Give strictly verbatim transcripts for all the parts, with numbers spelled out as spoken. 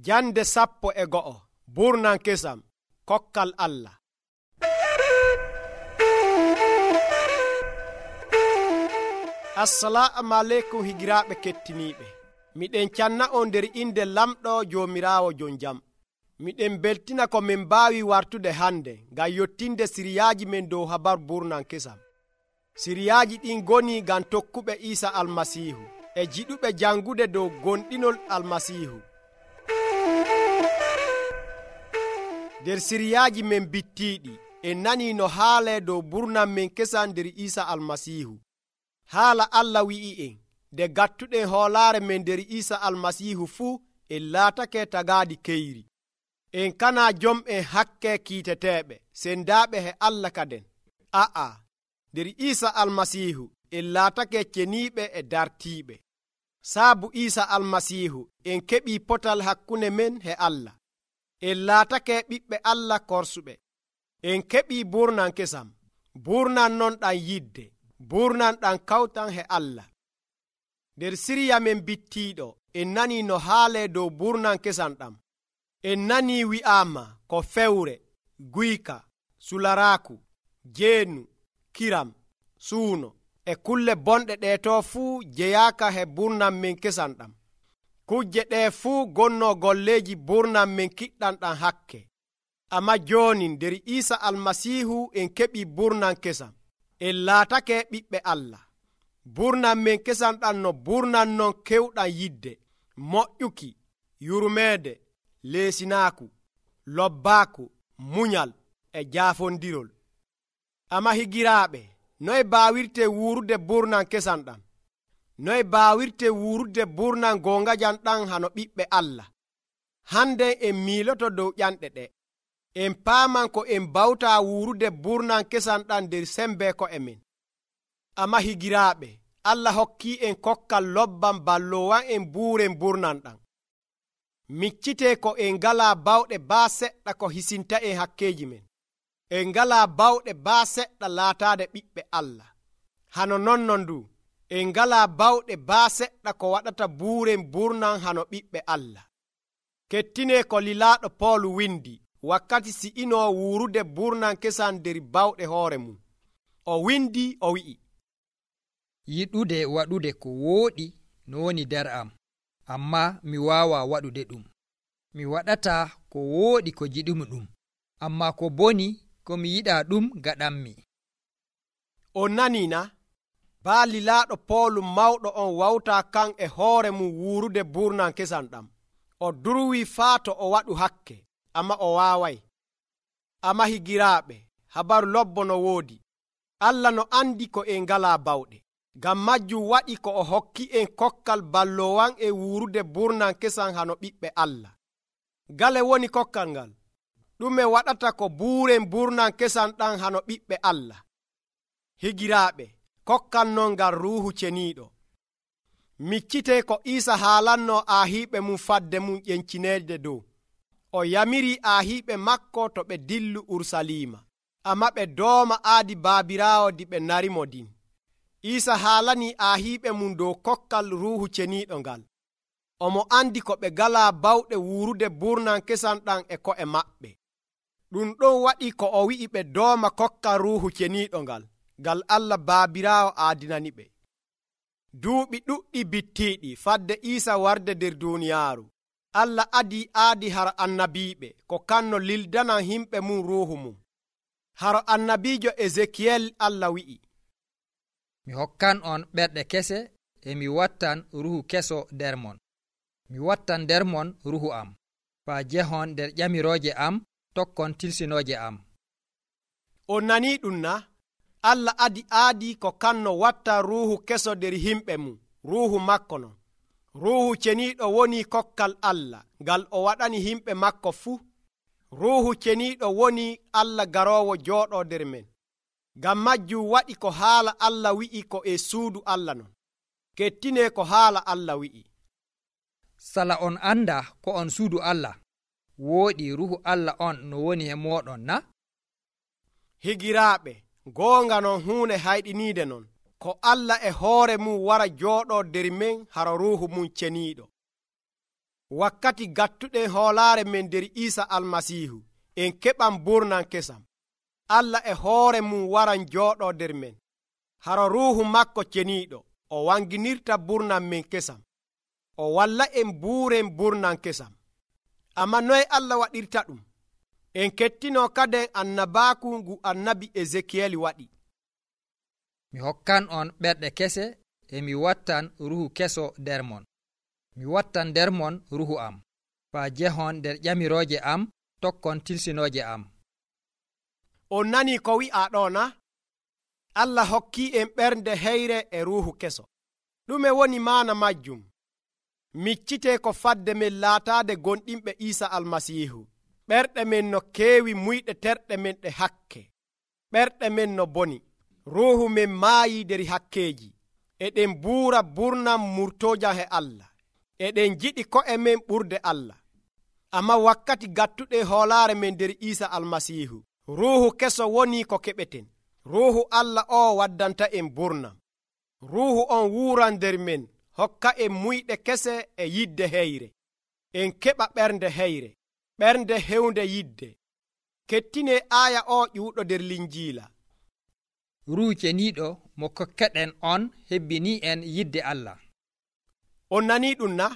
Jande sappo e go'o burnan kesam kokkal Allah. Assalamu aleykum higiraaɓe kettiniiɓe. Miɗen canna on nder inde lamɗo Joomiraawo jon jam. Miɗen beltina ko min mbaawi wartude hande ngam yottinde siriyaaji men dow habaru burnan kesam. Siriyaaji ɗin goni ngam tokkuɓe Iisa Almasiihu e jiɗuɓe jangude dow gonɗinol Almasiihu. Nder siriyaaji men bittiiɗi en nani no haale dow burnan men kesam nder Iisa Almasiihu. Haala Allah wi'i en nde gattuɗen hoolaare men nder Iisa Almasiihu fuu en laatake tagaadi keyri. En kana jom'en hakke kiiteteeɓe sendaaɓe he Allah kaden. A'a, nder Iisa Almasiihu en laatake ceniiɓe e dartiiɓe. Saabu Iisa Almasiihu en keɓii potal hakkunde men he Allah. En laatake ɓiɓɓe Allah korsuɓe. En keɓii burnan kesam. Burnan non ɗan yidde. Burnan ɗan kawtan he Allah. Nder siriya men bittiiɗo en nani no haale dow burnan kesam ɗam. En nani wi'aama ko fewre, guyka, sularaaku, jeenu, kiram, suuno e kulle bonɗe ɗeeto fuu jeyaaka he burnan men kesam ɗam. Kujje ɗee fuu gonno golleeji burnan men kiɗɗan ɗam hakke. Amma jooni nder Iisa Almasiihu en keɓii burnan kesam. En laatake ɓiɓɓe Allah. Burnan men kesam ɗam no burnan non kewɗam yidde, moƴƴuki, yurmeede, leesinaaku, lobbaaku, munyal e jaafondirol. Amma higiraaɓe, noye baawirte wuurude burnan kesam ɗam? Noye baawirte wuurude burnan goongajam ɗam hano ɓiɓɓe Allah? Hande en miiloto dow ƴanɗe ɗe. En paaman ko en bawtaa wuurude burnan kesam ɗam nder sembe ko'e men. Amma higiraaɓe, Allah hokkii en kokkal lobban balloowan en buuren burnan ɗam. Miccitee ko en ngalaa bawɗe baa seɗɗa ko hisinta en hakkeeji men. En ngalaa bawɗe baa seɗɗa laataade ɓiɓɓe Allah. Hano nonnon ndu, en ngalaa bawɗe baa seɗɗa ko waɗata buuren burnan hano ɓiɓɓe Allah. Kettinee ko lilaaɗo Pool windi wakkati si'inoo wuurude burnan kesam nder bawɗe hoore mum. O windi o wi'i, yiɗude waɗude ko wooɗi no woni nder am, amma mi waawa waɗude ɗum. Mi waɗata ko wooɗi ko jiɗumi ɗum, amma ko boni ko mi yiɗaa ɗum gaɗanmi. On naniina, baa lilaaɗo Pool mawɗo on wawtaa kan e hoore mum wuurude burnan kesam ɗam. O durwii faa to o waɗu hakke, amma o waaway. Amma higiraaɓe, habaru lobbo no woodi. Allah no andi ko en ngalaa bawɗe. Ngam majjum waɗi ko o hokki en kokkal balloowan e wuurude burnan kesam hano ɓiɓɓe Allah. Gale woni kokkal ngal? Ɗume waɗata ko buuren burnan kesam ɗam hano ɓiɓɓe Allah? Higiraaɓe, kokkal non ngal ruuhu ceniiɗo. Miccitee ko Iisa haalanno aahiiɓe mum fadde mum ƴencineede dow. O yamiri aahiiɓe makko to ɓe dillu Urusalima, amma ɓe dooma aadi baabiraawo di ɓe narimo din. Iisa haalanii aahiiɓe mum dow kokkal ruuhu ceniiɗo ngal. Omo andi ko ɓe ngalaa bawɗe wuurude burnan kesam ɗam e ko'e maɓɓe. Ɗum ɗon waɗi ko o wi'i ɓe dooma kokkal ruuhu ceniiɗo ngal, ngal Allah baabiraawo aadinani ɓe. Duuɓi ɗuɗɗi bittiiɗi fadde Iisa warde nder duuniyaaru. Allah adii aadi haro annabiiɓe ko kanno lildanan himɓe mum ruuhu mum. Haro annabiijo Ezekiyel Allah wi'i, mi hokkan on ɓerɗe kese e mi wattan ruhu keso nder mon. Mi wattan nder mon ruhu am, faa jehon nder ƴamirooje am tokkon tilsinooje am. On nanii ɗum na? Allah adi aadi ko kanno watta ruuhu keso nder himɓe mum, ruuhu makko non. Ruuhu ceniiɗo woni kokkal Allah ngal o waɗani himɓe makko fuu. Ruuhu ceniiɗo woni Allah garoowo jooɗoo nder men. Ngam majjum waɗi ko haala Allah wi'i ko e suudu Allah non. Kettinee ko haala Allah wi'i, sala on anda ko on suudu Allah, wooɗi ruhu Allah on no woni he mooɗon na? Higiraaɓe, goonga non huunde hayɗiniide non. Ko Allah e hoore mum wara jooɗoo nder men haro ruuhu mum ceniiɗo. wakkati gattuɗen hoolaare men nder Iisa almasiihu en keɓan burnan kesam. Allah e hoore mum waran jooɗoo nder men. Haro ruuhu makko ceniiɗo o wanginirta burnan men kesam. O walla en buuren burnan kesam. Amma noye Allah waɗirta ɗum? En kettinoo kaden annabaaku ngu annabi Ezekiyel waɗi. Mi hokkan on ɓerɗe kese e mi wattan ruhu keso nder mon. Mi wattan nder mon ruhu am, faa jehon nder ƴamirooje am tokkon tilsinooje am. On nanii ko wi'aa ɗo na? Allah hokkii en ɓernde heyre e ruuhu keso. ɗume woni maana majjum? Miccitee ko fadde men laataade gonɗinɓe Iisa almasiihu. Ɓerɗe men no keewi muyɗe terɗe men ɗe hakke. Ɓerɗe men no boni. Ruuhu men maayii nder hakkeeji. Eɗen buura burnam murtoojam he Allah. Eɗen jiɗi ko'e men ɓurde Allah. Amma wakkati gattuɗen hoolaare men nder Iisa almasiihu, ruuhu keso woni ko keɓeten. Ruuhu Allah o waddanta en burnam. Ruuhu on wuuran nder men, hokka en muyɗe kese e yidde heyre. En keɓa ɓernde heyre, ɓernde hewnde yidde. Kettine aaya o ƴuuɗo nder Linjiila. Ruuhu ceniiɗo mo kokkeɗen on hebbini en yidde Allah. On nanii ɗum na?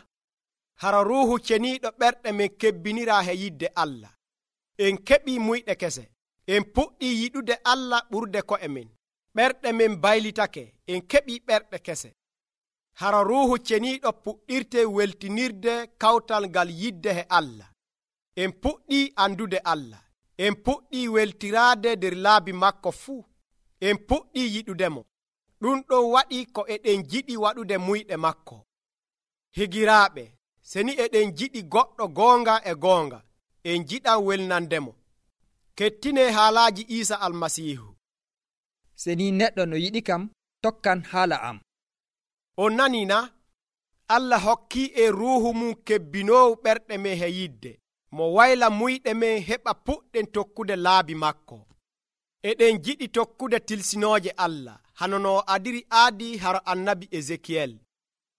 Hara ruuhu ceniiɗo ɓerɗe men kebbiniraa he yidde Allah. En keɓii muyɗe kese. En puɗɗii yiɗude Allah ɓurde ko'e men. Ɓerɗe men baylitake. En keɓii ɓerɗe kese. Hara ruuhu ceniiɗo puɗɗirte weltinirde kawtal ngal yidde he Allah. En puɗɗii andude Allah. En puɗɗii weltiraade nder laabi makko fuu. En puɗɗii yiɗudemo. Ɗum ɗon waɗi ko eɗen jiɗi waɗude muyɗe makko. Higiraaɓe, seni eɗen jiɗi goɗɗo goonga e goonga, en jiɗan welnandemo. Kettine haalaaji Iisa almasiihu. Seni neɗɗo no yiɗi kam tokkan haala am. On nanii na? Allah hokkii e ruuhu mum kebbinoowu ɓerɗe men he yidde, mo wayla muyɗe men heɓa puɗɗen tokkude laabi makko. Eɗen jiɗi tokkude tilsinooje Allah, hano no adiri aadi haro annabi Ezekiyel.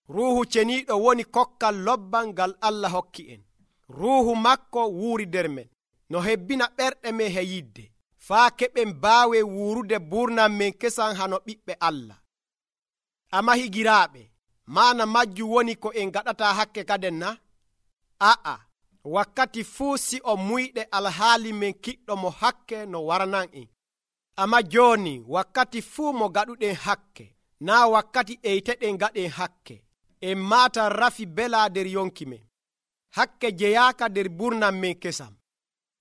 Ruuhu ceniiɗo woni kokkal lobbal ngal Allah hokki en. Ruuhu makko wuuri nder men, no hebbina ɓerɗe men he yidde, faa keɓen baawe wuurude burnam men kesan hano ɓiɓɓe Allah. Amma higiraaɓe, maana majjum woni ko en gaɗataa hakke kaden na? A'a, wakkati fuu si o muyɗe alhaali men kiɗɗo mo hakke no waranan en. Amma jooni wakkati fuu mo gaɗuɗen hakke, naa wakkati eyteɗen gaɗen hakke. En maata rafi bela nder yonki men. Hakke jeyaaka nder burnam men kesam.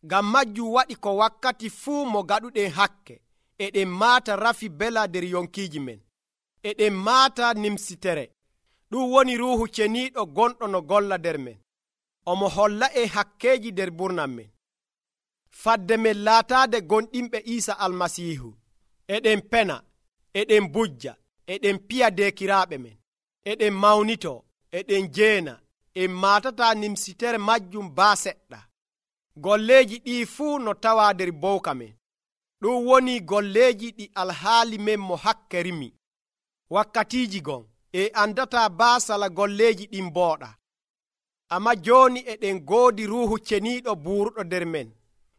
Ngam majjum waɗi ko wakkati fuu mo gaɗuɗen hakke, eɗen maata rafi bela nder yonkiiji men. Eɗen maata nimsitere. Ɗum woni ruuhu ceniiɗo gonɗo no golla nder men. Omo holla en hakkeeji nder burnam men. Fadde men laataade gonɗinɓe Iisa almasiihu. Eɗen pena, eɗen bujja, eɗen piya dekiraaɓe men. Eɗen mawnitoo, eɗen jeena, en maatataa nimsitere majjum baa seɗɗa. Golleeji ɗii fuu no tawaa nder bowka men. Ɗum woni golleeji ɗi alhaali men mo hakke rimi. Wakkatiiji gon, e andataa baa sala golleeji ɗin mbooɗa. Amma jooni eɗen goodi ruuhu ceniiɗo buuruɗo nder men.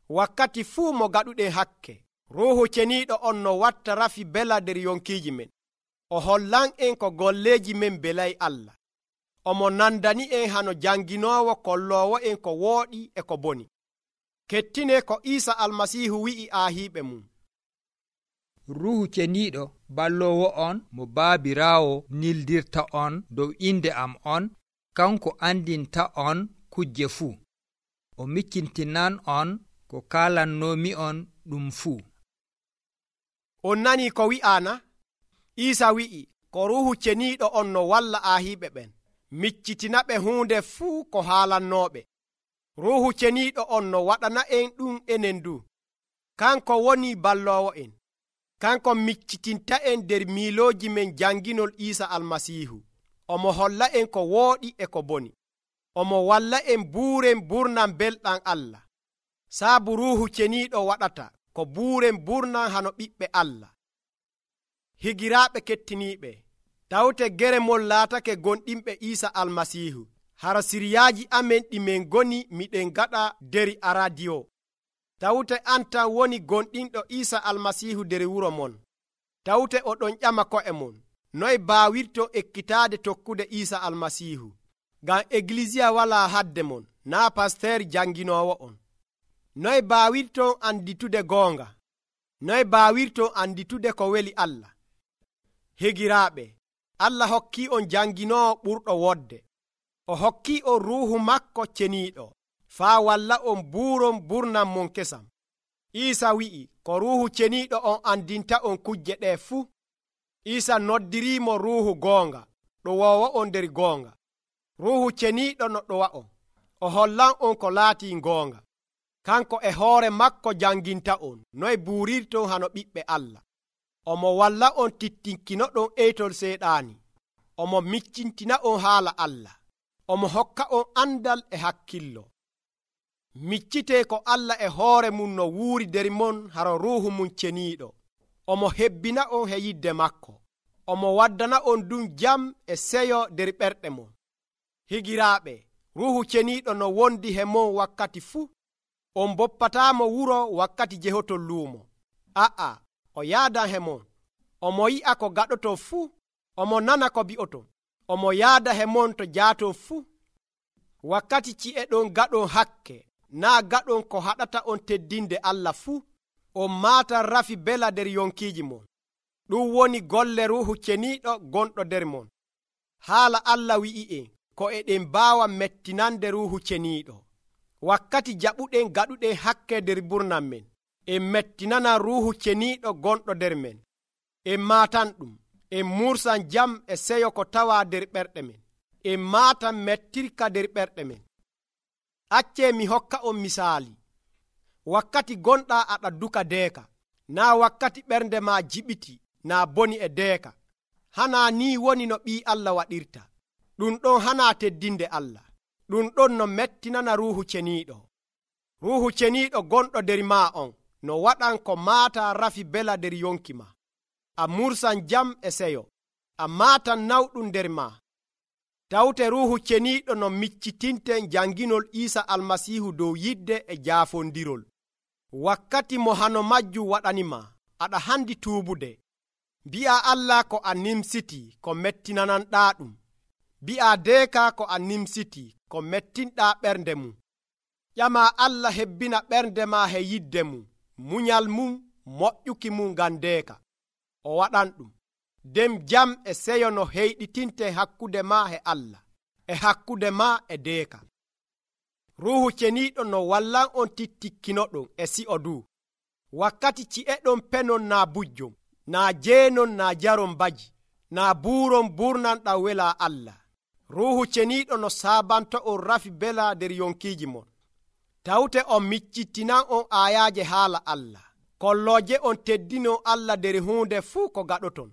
Wakkati fuu mo gaɗuɗen hakke, ruuhu ceniiɗo on no watta rafi bela nder yonkiiji men. O hollan en ko golleeji men belay Allah. Omo nandani en hano janginoowo kolloowo en ko wooɗi e ko boni. Kettine ko Iisa almasiihu wi'i aahiiɓe mum. Ruuhu ceniiɗo balloowo on mo baabiraawo nildirta on dow inde am on, kanko andinta on kujje fuu. O miccintinan on ko kaalannoomi on ɗum fuu. On nanii ko wi'aana? Iisa wi'i ko ruuhu ceniiɗo on no walla aahiiɓe ɓen, miccitina ɓe huunde fuu ko haalannooɓe. Ruuhu ceniiɗo on no waɗana en ɗum enen du. Kanko woni balloowo en. Kanko miccitinta en nder miilooji men janginol Iisa almasiihu. Omo holla en ko wooɗi e ko boni. Omo walla en buuren burnam belɗam Allah. Saabu ruuhu ceniiɗo waɗata ko buuren burnam hano ɓiɓɓe Allah. Higiraaɓe kettiniiɓe, tawte geremol laatake gonɗinɓe Iisa almasiihu. hara siryaaji amen ɗi min goni miɗen gaɗa deri aradiyo. Tawte anta woni gonɗinɗo Iisa almasiihu der wuro mon. Tawte oɗon ƴama ko'e mon, noy baawirto ekkitaade tokkude Iisa almasiihu? Ngam eglisiya walaa hadde mon, naa pasteer janginoowo on. Noy baawirton anditude goonga? Noy baawirton anditude ko weli Allah? Higiraaɓe, Allah hokkii on janginoowo ɓurɗo wodde. O hokkii on ruuhu makko ceniiɗo, faa walla on buuron burnan mon kesam. Iisa wi'i ko ruuhu ceniiɗo on andinta on kujje ɗee fuu. Iisa noddiriimo ruuhu goonga, ɗo woowo on nder goonga. Ruuhu ceniiɗo no ɗowa on, o hollan on ko laatii goonga. Kanko e hoore makko janginta on noy buurirton hano ɓiɓɓe Allah. Omo walla on tittinkinoɗon eytol seeɗaani. Omo miccintina on haala Allah. Omo hokka on andal e hakkillo. Miccitee ko Allah e hoore mum no wuuri der mon haro ruuhu mum ceniiɗo. Omo hebbina on he yidde makko. Omo waddana on ɗum jam e seyo der ɓerɗe mon. Higiraaɓe, ruuhu ceniiɗo no wondi he mon wakkati fuu. On boppataamo wuro wakkati jehotol luumo. A'a, o yaadan he mon. Omo yi'a ko gaɗoton fuu. Omo nana ko bi'oton. Omo yaada he mon to jaaton fuu. Wakkati ci'e ɗon gaɗon hakke, naa gaɗon ko haɗata on teddinde Allah fuu. On maatan rafi bela der yonkiiji mon. Ɗum woni golle ruuhu ceniiɗo gonɗo der mon. Haala Allah wi'i'en ko eɗen mbaawa mettinande ruuhu ceniiɗo. Wakkati jaɓuɗen gaɗuɗen hakke der burnan men, en mettinana ruuhu ceniiɗo gonɗo der men. En maatan ɗum, en mursan jam e seyo ko tawa der ɓerɗe men. En maatan mettirka der ɓerɗe men. Accee mi hokka on misaali. Wakkati gonɗa aɗa duka deeka, naa wakkati ɓernde ma jiɓiti, naa boni e deeka. Hanaa ni woni no ɓii Allah waɗirta. Ɗum ɗon hanaa teddinde Allah. Ɗum ɗon no mettinana ruuhu ceniiɗo. Ruuhu ceniiɗo gonɗo der maa on no waɗan ko maata rafi bela der yonki ma. A mursan jam e seyo. A maatan nawɗum der maa. Tawte ruuhu ceniiɗo no miccitinten janginol Iisa almasiihu dow yidde e jaafondirol. Wakkati mo hano majju waɗanima, aɗa handi tuubude. Mbi'a Allah ko a nimsiti ko mettinananɗaa ɗum. Mbi'a deeka ko a nimsiti ko mettinɗaa ɓernde mum. Ƴama Allah hebbina ɓernde ma he yidde mum, munyal mum, moƴƴuki mum ngam deeka. O waɗan ɗum. Dem jam e seyo no heyɗitinte hakkude ma he Allah, e hakkude ma e deeka. Ruuhu ceniiɗo no wallan on tittikkinoɗon e si'o du. Wakkati ci'eɗon penon naa bujjom, naa jeenon naa jaron baji, naa buuron burnanɗam wela Allah. Ruuhu ceniiɗo no saabanto on rafi bela der yonkiiji mon. Tawte on miccittinan on aayaaje haala Allah. Kollooje on teddino Allah der huunde fuu ko gaɗoton.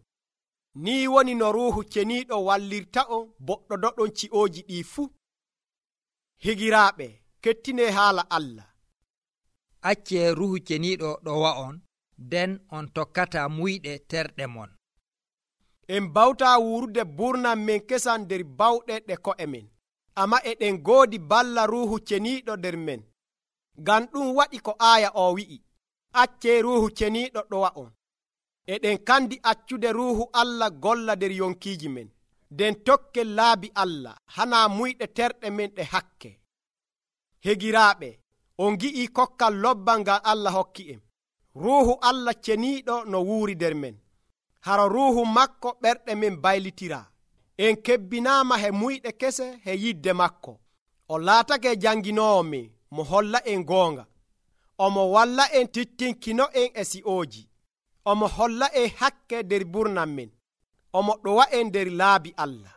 Ni woni no ruuhu ceniiɗo wallirta on boɗɗodoɗon ci'ooji ɗii fuu. Higiraaɓe, kettine haala Allah. Accee ruuhu ceniiɗo ɗowa on, nden on tokkata muyɗe terɗe mon. En bawta wurude burnan men kesan der bawɗe ɗe ko'e men, amma eɗen goodi balla ruuhu ceniiɗo der men. Ngam ɗum waɗi ko aaya o wi'i, accee ruuhu ceniiɗo ɗowa on. Eɗen kandi accude ruuhu Allah golla der yonkiiji men, nden tokken laabi Allah hana muyɗe terɗe men ɗe hakke. Hegiraaɓe, on gi'ii kokkal lobbal ngal Allah hokki en. Ruuhu Allah ceniiɗo no wuuri der men. Haro ruuhu makko ɓerɗe men baylitira. En kebbinaama he muyɗe kese he yidde makko. O laatake janginoowo men mo holla en goonga. Omo walla en tittinkino en e si'ooji. Omo holla en hakke der burnan men. Omo ɗowa en der laabi Allah.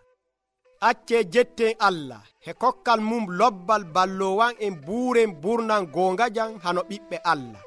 Accee jetten Allah he kokkal mum lobbal ballowan en buuren burnan goonga jan hano ɓiɓɓe Allah.